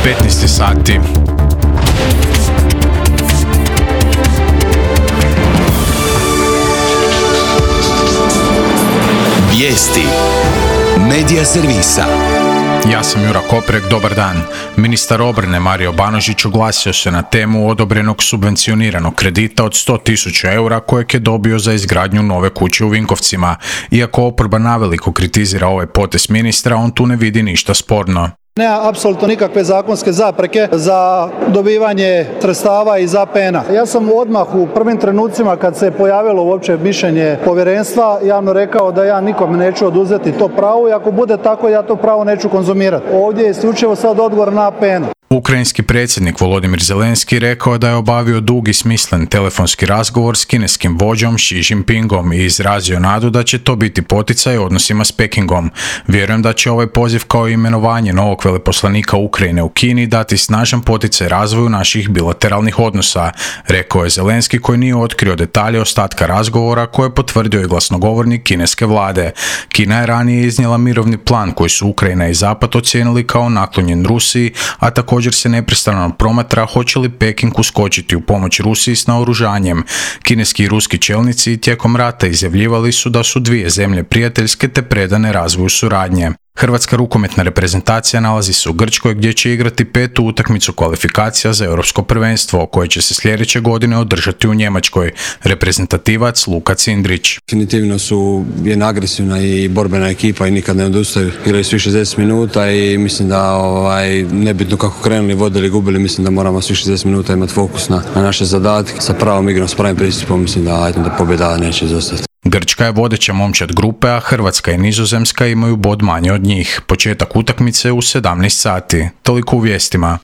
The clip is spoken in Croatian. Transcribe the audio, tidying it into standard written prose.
15 sati. Vijesti Medija servisa. Ja sam Jura Koprek, dobar dan. Ministar obrane Mario Banožić oglasio se na temu odobrenog subvencioniranog kredita od 100.000 eura kojeg je dobio za izgradnju nove kuće u Vinkovcima. Iako oporba naveliko kritizira ovaj potez ministra, on tu ne vidi ništa sporno. Nema apsolutno nikakve zakonske zapreke za dobivanje sredstava iz APN-a. Ja sam odmah u prvim trenucima kad se pojavilo uopće mišljenje povjerenstva javno rekao da ja nikome neću oduzeti to pravo i ako bude tako ja to pravo neću konzumirati. Ovdje je isključivo sad odgovor na APN-u. Ukrajinski predsjednik Volodymyr Zelenski rekao da je obavio dug i smislen telefonski razgovor s kineskim vođom Xi Jinpingom i izrazio nadu da će to biti poticaj odnosima s Pekingom. Vjerujem da će ovaj poziv kao i imenovanje novog veleposlanika Ukrajine u Kini dati snažan poticaj razvoju naših bilateralnih odnosa, rekao je Zelenski koji nije otkrio detalje ostatka razgovora koje je potvrdio i glasnogovornik kineske vlade. Kina je ranije iznijela mirovni plan koji su Ukrajina i Zapad ocijenili kao naklonjen Rusiji, a također se neprestano promatra hoće li Peking uskočiti u pomoć Rusiji s naoružanjem. Kineski i ruski čelnici tijekom rata izjavljivali su da su dvije zemlje prijateljske te predane razvoju suradnje. Hrvatska rukometna reprezentacija nalazi se u Grčkoj gdje će igrati 5. utakmicu kvalifikacija za europsko prvenstvo koje će se sljedeće godine održati u Njemačkoj. Reprezentativac Luka Cindrić. Definitivno su jedna agresivna i borbena ekipa i nikad ne odustaju. Igraju svi 60 minuta i mislim da nebitno kako krenuli, vodili, gubili, mislim da moramo svi 60 minuta imati fokus na naše zadatke. Sa pravom igrom, s pravim pristupom mislim da pobjeda neće izostati. Grčka je vodeća momčad grupe, a Hrvatska i Nizozemska imaju bod manje od njih. Početak utakmice u 17 sati. Toliko u vijestima.